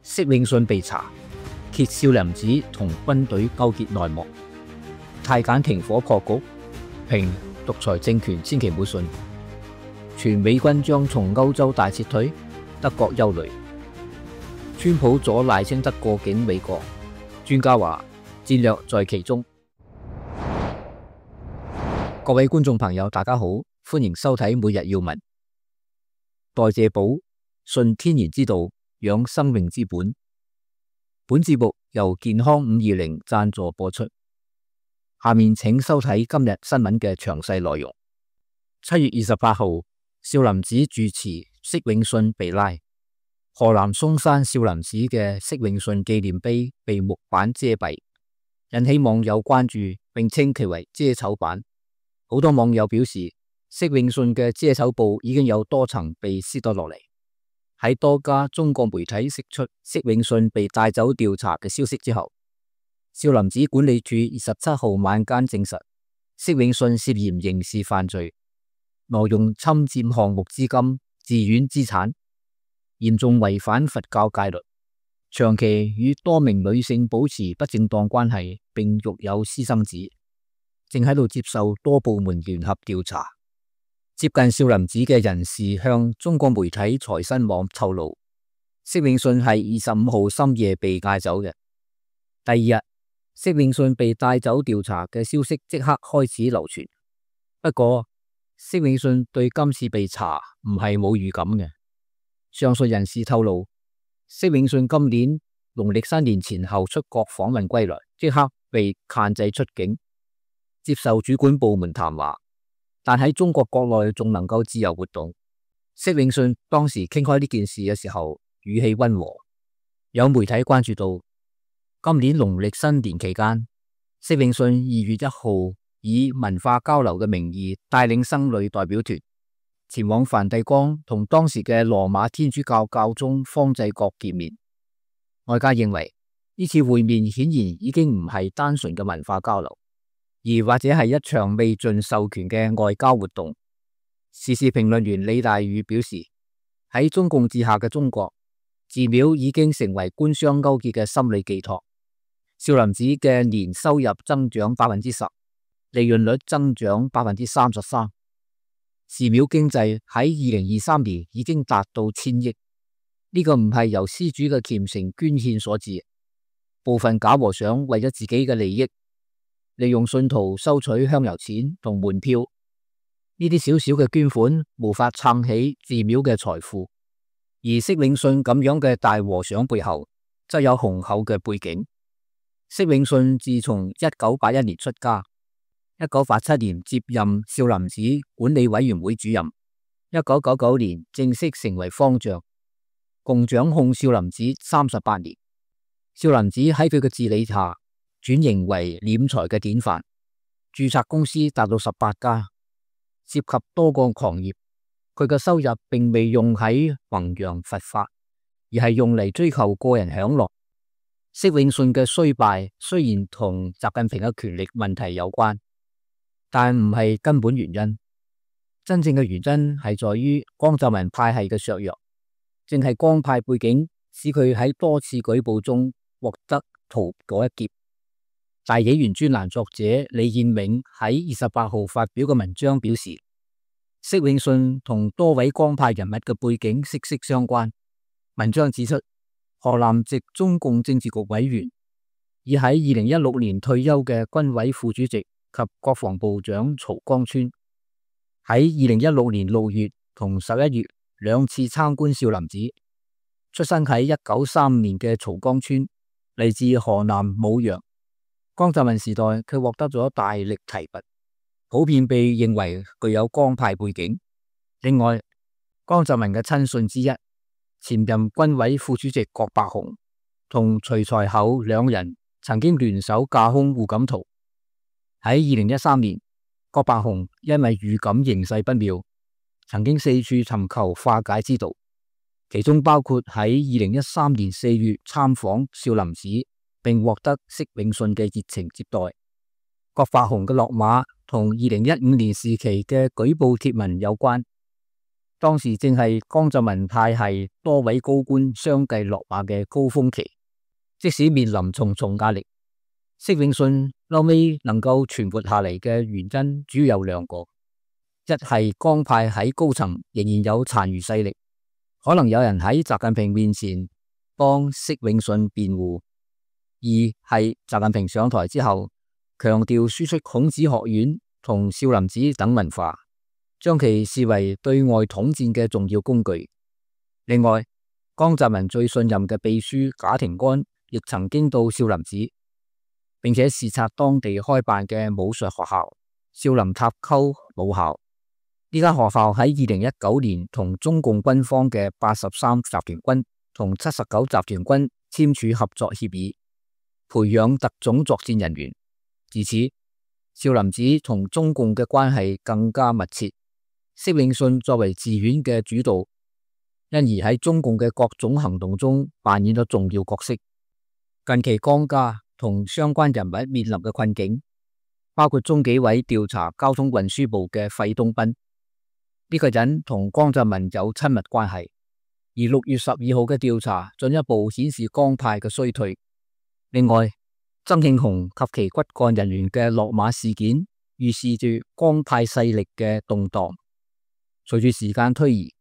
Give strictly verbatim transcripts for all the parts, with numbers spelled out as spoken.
釋永信被查，揭少林寺同軍隊勾結內幕，太監停火破局，評獨裁政權千祈唔好信，全美軍將從歐洲大撤退，德國憂慮，川普阻賴清德過境美國，專家話戰略在其中。各位觀眾朋友，大家好，歡迎收睇每日要聞。代謝寶，信天然之道，養生命之本。本節目由健康五二零贊助播出。下面請收睇今日新聞嘅詳細內容。七月二十八號，少林寺住持釋永信被拉，河南嵩山少林寺嘅釋永信紀念碑被木板遮蔽，引起網友關注，並稱其為遮醜板。好多網友表示，釋永信嘅遮醜布已經有多層被撕咗落嚟。喺多家中國媒體釋出釋永信被帶走調查嘅消息之後，少林寺管理處二十七號晚間證實，釋永信涉嫌刑事犯罪，挪用侵佔項目資金、寺院資產，嚴重違反佛教戒律，長期與多名女性保持不正當關係，並育有私生子，正喺度接受多部門聯合調查。接近少林寺嘅人士向中國媒體財新網透露，釋永信係二十五號深夜被帶走嘅。第二日，釋永信被帶走調查嘅消息即刻開始流傳。不過，釋永信對今次被查唔係冇預感嘅。上述人士透露，釋永信今年農曆新年前後出國訪問歸來，即刻被限制出境，接受主管部門談話。但喺中國國內仲能夠自由活動。釋永信當時傾開呢件事嘅時候，語氣溫和。有媒體關注到，今年農曆新年期間，釋永信二月一號以文化交流嘅名義帶領僧侶代表團前往梵蒂岡同當時嘅羅馬天主教教宗方濟各見面。外界認為呢次會面顯然已經唔係單純嘅文化交流，而或者係一場未盡授權嘅外交活動。時事評論員李大宇表示，喺中共治下嘅中國，寺廟已經成為官商勾結嘅心理寄託。少林寺嘅年收入增長百分之十，利潤率增長百分之三十三，寺廟經濟喺二零二三年已經達到千億。呢、這個唔係由施主嘅虔誠捐獻所致，部分假和尚為咗自己嘅利益，利用信徒收取香油錢同門票，呢啲小小嘅捐款無法撐起寺廟嘅財富。而釋永信咁樣嘅大和尚背後，則有雄厚嘅背景。釋永信自從一九八一年出家，一九八七年接任少林寺管理委員會主任，一九九九年正式成為方丈，共掌控少林寺三十八年。少林寺喺佢嘅治理下轉型為斂財嘅典範，註冊公司達到十八家，涉及多個行業。佢嘅收入並未用喺弘揚佛法，而係用嚟追求個人享樂。釋永信嘅衰敗雖然同習近平嘅權力問題有關，但唔係根本原因。真正嘅原因係在於江澤民派系嘅削弱，正係江派背景使佢喺多次舉報中獲得逃過一劫。大紀元專欄作者李建銘喺二十八號發表嘅文章表示，釋永信同多位江派人物嘅背景息息相關。文章指出，河南籍中共政治局委員，已喺二零一六年退休嘅軍委副主席及國防部長曹江村，喺二零一六年六月同十一月兩次參觀少林寺。出生喺一九三五年嘅曹江村，嚟自河南舞陽。江澤民時代，佢獲得咗大力提拔，普遍被認為具有江派背景。另外，江澤民嘅親信之一，前任軍委副主席郭伯雄同徐才厚兩人曾經聯手架空胡錦濤。喺二零一三年，郭伯雄因為預感形勢不妙，曾經四處尋求化解之道，其中包括喺二零一三年四月參訪少林寺，並獲得釋永信嘅熱情接待。郭伯雄嘅落馬同二零一五年時期嘅舉報貼文有關。當時正係江澤民派系多位高官相繼落馬嘅高峰期，即使面臨重重壓力，釋永信後尾能夠存活下嚟嘅原因主要有兩個：一係江派喺高層仍然有殘餘勢力，可能有人喺習近平面前幫釋永信辯護；二係習近平上台之後，強調輸出孔子學院同少林寺等文化，將其視為對外統戰嘅重要工具。另外，江澤民最信任嘅秘書賈廷安亦曾經到少林寺，並且視察當地開辦嘅武術學校少林塔溝武校。呢間學校喺二零一九年同中共軍方嘅八十三集團軍同七十九集團軍簽署合作協議，培養特種作戰人員。自此，少林寺同中共嘅關係更加密切。釋永信作為寺院嘅主導，因而喺中共嘅各種行動中扮演咗重要角色。近期江家同相關人物面臨嘅困境，包括中紀委調查交通運輸部嘅費東斌，呢個人同江澤民有親密關係。而六月十二號嘅調查進一步顯示江派嘅衰退。另外，曾慶紅及其骨幹人員嘅落馬事件，預示住江派勢力嘅動盪。隨住時間推移，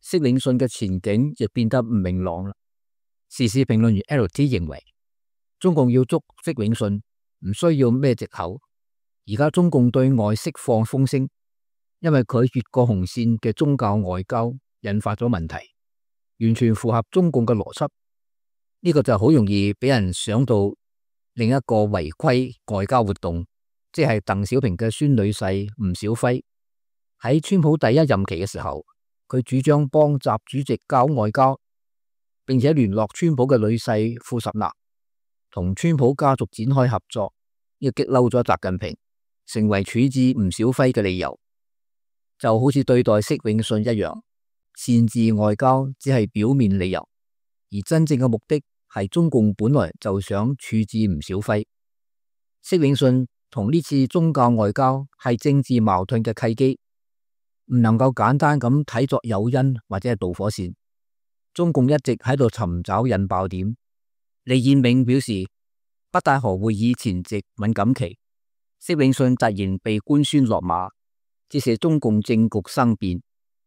釋永信嘅前景亦變得唔明朗啦。時事評論員 L T 認為，中共要捉釋永信唔需要咩藉口。而家中共對外釋放風聲，因為佢越過紅線嘅宗教外交引發咗問題，完全符合中共嘅邏輯。呢、這個就好容易俾人想到另一個違規外交活動，即係鄧小平嘅孫女婿吳小輝喺川普第一任期嘅時候，佢主張幫習主席搞外交，並且聯絡川普嘅女婿庫什納，同川普家族展開合作，呢個激嬲咗習近平，成為處置吳小輝嘅理由。就好似對待釋永信一樣，擅自外交只係表面理由，而真正嘅目的係中共本來就想處置吳小輝。釋永信同呢次宗教外交係政治矛盾嘅契機，唔能夠簡單咁睇作誘因或者係導火線。中共一直喺度尋找引爆點。李彥銘表示，北戴河會議前夕敏感期，釋永信突然被官宣落馬，折射中共政局生變，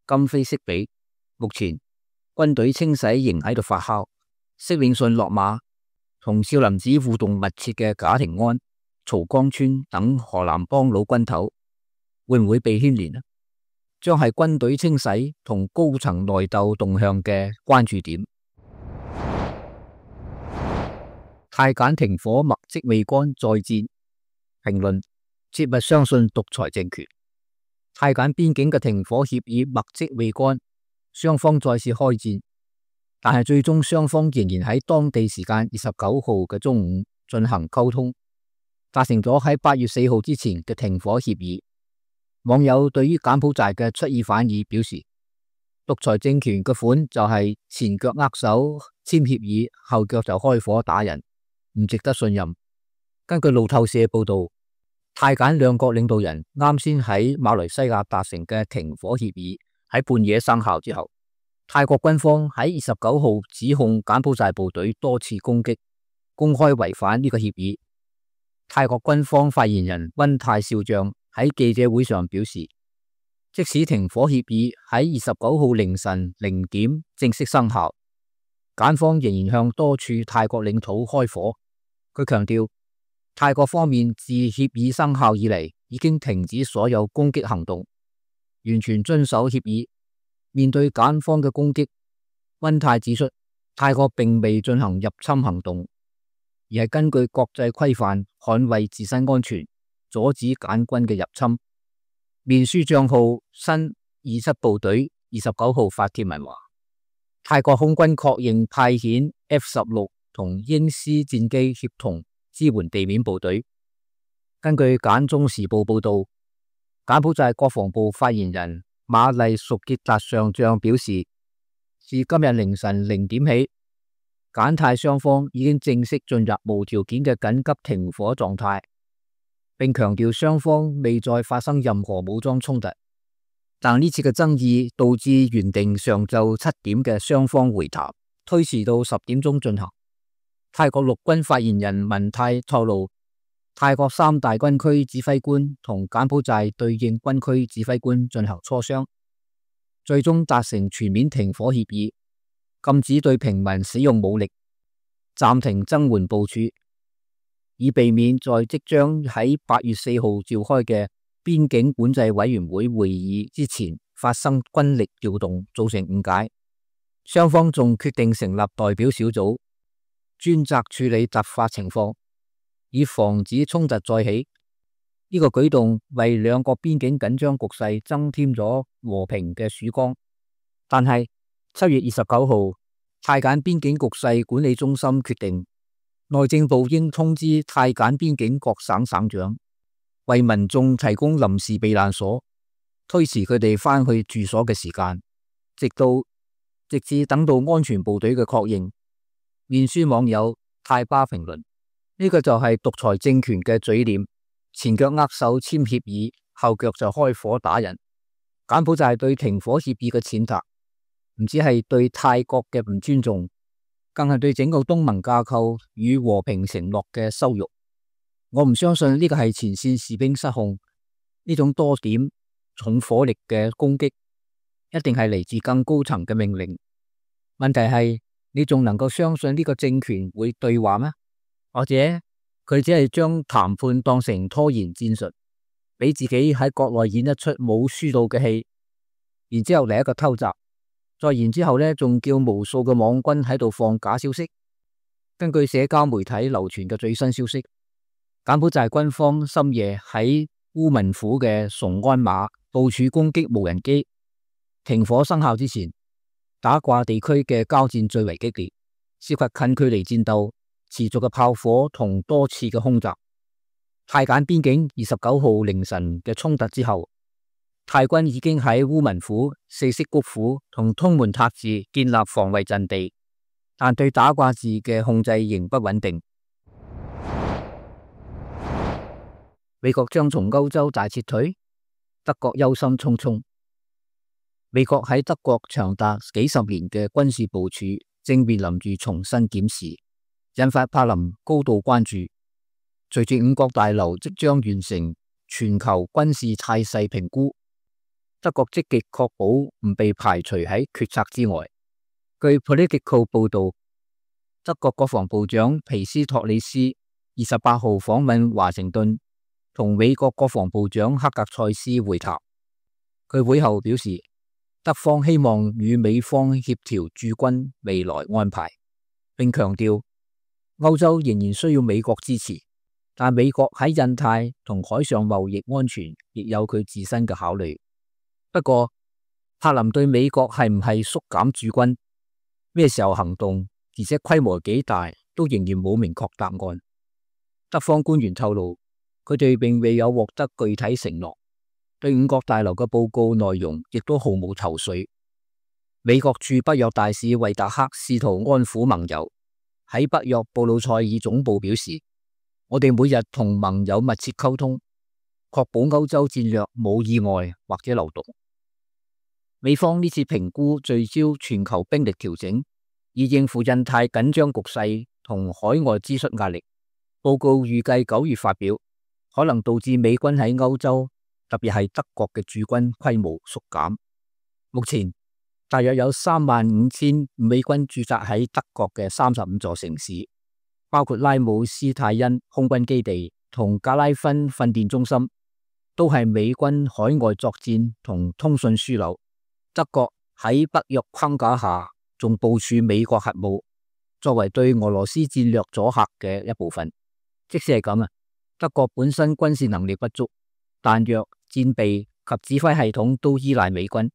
今非昔比。目前軍隊清洗仍喺度發酵。釋永信落馬，同少林寺互動密切嘅賈廷安、曹江村等河南幫老軍頭會唔會被牽連呢？將係軍隊清洗同高層內鬥動向嘅關注點。太鹼停火墨跡未乾再戰，評論：切勿相信獨裁政權。太鹼邊境嘅停火協議墨跡未乾，雙方再次開戰。但係最終雙方仍然喺當地時間二十九號嘅中午進行溝通，達成咗喺八月四號之前嘅停火協議。網友對於柬埔寨嘅出爾反爾表示，獨裁政權嘅款就係前腳握手簽協議，後腳就開火打人，唔值得信任。根據路透社報道，太柬兩國領導人啱先喺馬來西亞達成嘅停火協議喺半夜生效之後，泰國軍方喺二十九號指控柬埔寨部隊多次攻擊，公開違反呢個協議。泰國軍方發言人溫泰少將喺記者會上表示，即使停火協議喺二十九號凌晨零點正式生效，柬方仍然向多處泰國領土開火。佢強調，泰國方面自協議生效以嚟已經停止所有攻擊行動，完全遵守協議。面對柬方嘅攻擊，溫泰指出，泰國並未進行入侵行動，而係根據國際規範捍衛自身安全，阻止柬軍嘅入侵。面書賬號新二七部隊二十九號發帖文話，泰國空軍確認派遣 F 十六同鷹獅戰機協同支援地面部隊。根據柬中時報報道，柬埔寨國防部發言人馬麗淑傑達上將表示，自今日凌晨零點起，柬泰雙方已經正式進入無條件嘅緊急停火狀態，並強調雙方未再發生任何武裝衝突。但呢次嘅爭議導致原定上晝七點嘅雙方會談推遲到十點鐘進行。泰國陸軍發言人文泰透露，泰國三大軍區指揮官同柬埔寨對應軍區指揮官進行磋商，最終達成全面停火協議，禁止對平民使用武力，暫停增援部署，以避免在即將喺八月四號召開嘅邊境管制委員會會議之前發生軍力調動，造成誤解。雙方仲決定成立代表小組，專責處理突發情況，以防止衝突再起。呢個舉動為兩國邊境緊張局勢增添咗和平嘅曙光。但係七月二十九號，泰柬邊境局勢管理中心決定，內政部應通知泰柬邊境各省省長，為民眾提供臨時避難所，推遲佢哋返去住所嘅時間，直到直至等到安全部隊嘅確認。面書網友泰巴評論：呢個就係獨裁政權嘅嘴臉，前腳握手簽協議，後腳就開火打人。柬埔寨對停火協議嘅踐踏，唔止係對泰國嘅唔尊重，更係對整個東盟架構與和平承諾嘅羞辱。我唔相信呢個係前線士兵失控，呢種多點重火力嘅攻擊，一定係嚟自更高層嘅命令。問題係，你仲能夠相信呢個政權會對話咩？或者佢只係將談判當成拖延戰術，俾自己喺國內演一出冇輸到嘅戲，然之後嚟一個偷襲，再然之後呢，仲叫無數嘅網軍喺度放假消息。根據社交媒體流傳嘅最新消息，柬埔寨軍方深夜喺烏文府嘅崇安馬部署攻擊無人機。停火生效之前，打卦地區嘅交戰最為激烈，涉及近距離戰鬥、持續嘅炮火同多次嘅空襲。泰柬邊境二十九號凌晨嘅衝突之後，泰軍已經喺烏文府、四色谷府同通門塔寺建立防衛陣地，但對打卦寺嘅控制仍不穩定。美國將從歐洲大撤退，德國憂心忡忡。美國喺德國長達幾十年嘅軍事部署正面臨住重新檢視，引發柏林高度關注。隨住五角大樓即將完成全球軍事態勢評估，德國積極確保唔被排除喺決策之外。據 Politico 報道，德國國防部長皮斯托里斯二十八號訪問華盛頓，同美國國防部長克格塞斯會談。佢會後表示，德方希望與美方協調駐軍未來安排，並強調歐洲仍然需要美國支持，但美國喺印太同海上貿易安全亦有佢自身嘅考慮。不過，柏林對美國係唔係縮減駐軍、咩時候行動，而且規模幾大，都仍然冇明確答案。德方官員透露，佢哋並未有獲得具體承諾。對五角大樓嘅報告內容亦都毫無頭緒。美國駐北約大使維達克試圖安撫盟友，喺北約布魯塞爾總部表示，我哋每日同盟友密切溝通，確保歐洲戰略冇意外或者漏洞。美方呢次評估聚焦全球兵力調整，以應付印太緊張局勢同海外支出壓力。報告預計九月發表，可能導致美軍喺歐洲，特別係德國嘅駐軍規模縮減。目前大約有三萬五千美軍駐紮喺德國嘅三十五座城市，包括拉姆斯泰因空軍基地同格拉芬訓練中心，都係美軍海外作戰同通訊樞紐。德國喺北約框架下，仲部署美國核武，作為對俄羅斯戰略阻嚇嘅一部分。即使係咁啊，德國本身軍事能力不足，彈藥、戰備及指揮系統都依賴美軍。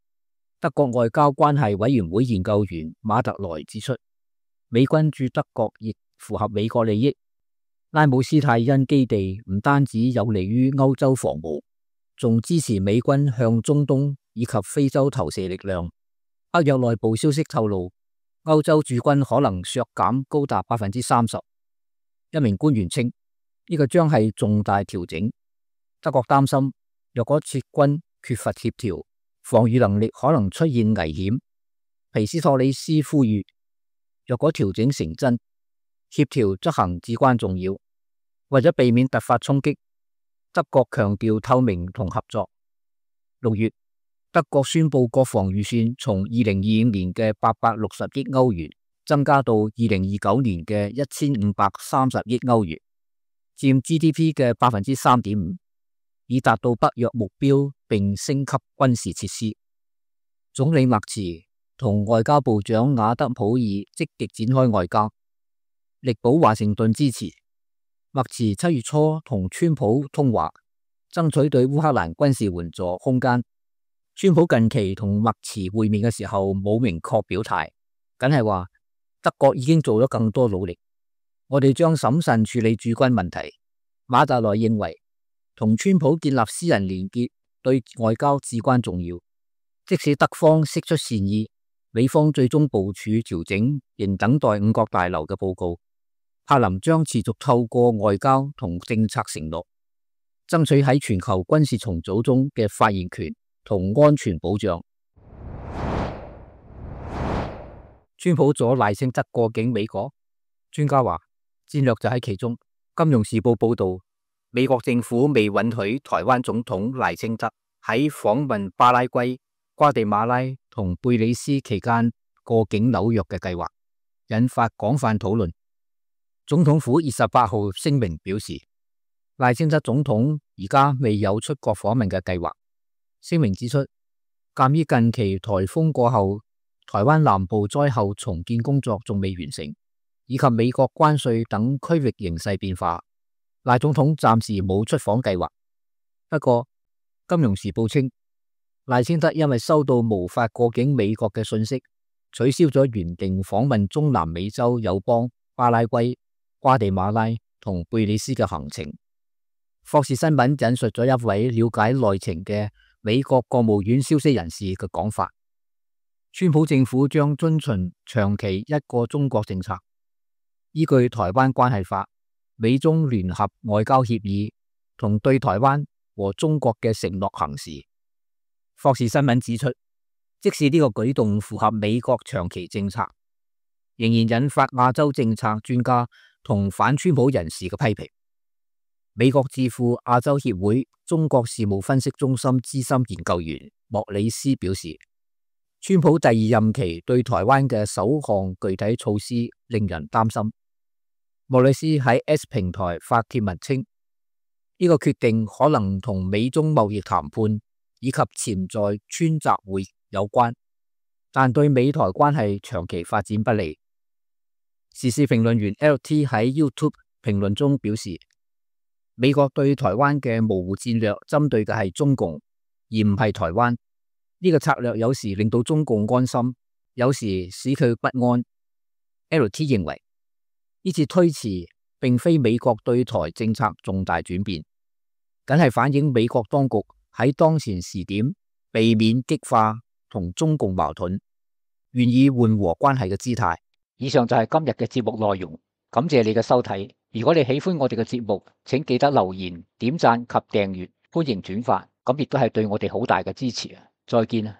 德國外交關係委員會研究員馬特萊指出，美軍駐德國亦符合美國利益。拉姆斯泰因基地唔單止有利於歐洲防務，仲支持美軍向中東以及非洲投射力量。北約內部消息透露，歐洲駐軍可能削減高達百分之三十。一名官員稱，呢個將係重大調整。德國擔心，若果撤軍缺乏協調，防禦能力可能出現危險。皮斯托里斯呼籲，若果調整成真，協調執行至關重要。為咗避免突發衝擊，德國強調透明同合作。六月，德國宣布國防預算從二零二五年嘅八百六十億歐元增加到二零二九年嘅一千五百三十億歐元，佔 G D P 嘅百分之三點五，以達到北約目標並升級軍事設施。總理默茨同外交部長瓦德普爾積極展開外交，力保華盛頓支持。默茨七月初同川普通話，爭取對烏克蘭軍事援助空間。川普近期同默茨會面嘅時候冇明確表態，梗係話德國已經做咗更多努力，我哋將審慎處理駐軍問題。馬特萊認為，同川普建立私人連結對外交至關重要，即使德方釋出善意，美方最終部署調整仍等待五角大樓嘅報告。柏林將持續透過外交同政策承諾，爭取喺全球軍事重組中嘅發言權同安全保障。川普阻賴清德過境美國，專家話戰略就喺其中。金融時報報道，美國政府未允許台灣總統賴清德喺訪問巴拉圭、瓜地馬拉同貝里斯期間過境紐約嘅計劃，引發廣泛討論。總統府二十八號聲明表示，賴清德總統而家未有出國訪問嘅計劃。聲明指出，鑒於近期颱風過後，台灣南部災後重建工作仲未完成，以及美國關稅等區域形勢變化，賴總統暫時冇出訪計劃。不過，金融時報稱，賴清德因為收到無法過境美國嘅訊息，取消咗原定訪問中南美洲友邦巴拉圭、瓜地馬拉同貝里斯嘅行程。霍士新聞引述咗一位了解內情嘅美國國務院消息人士嘅講法，川普政府將遵循長期一個中國政策，依據台灣關係法、美中聯合外交協議同對台灣和中國嘅承諾行事。霍士新聞指出，即使呢個舉動符合美國長期政策，仍然引發亞洲政策專家同反川普人士嘅批評。美國智庫亞洲協會中國事務分析中心資深研究員莫里斯表示，川普第二任期對台灣嘅首項具體措施令人擔心。莫里斯喺 S 平台發帖文稱，呢個決定可能同美中貿易談判以及潛在川習會有關，但對美台關係長期發展不利。時事評論員 L T 喺 YouTube 評論中表示，美國對台灣嘅模糊戰略針對嘅係中共，而唔係台灣。呢個策略有時令到中共安心，有時使佢不安。L T 認為呢次推遲並非美國對台政策重大轉變，僅係反映美國當局喺當前時點避免激化同中共矛盾，願意緩和關係嘅姿態。以上就係今日嘅節目內容，感謝你嘅收睇。如果你喜歡我哋嘅節目，請記得留言、點讚及訂閱，歡迎轉發，咁亦都係對我哋好大嘅支持啊！再見啊！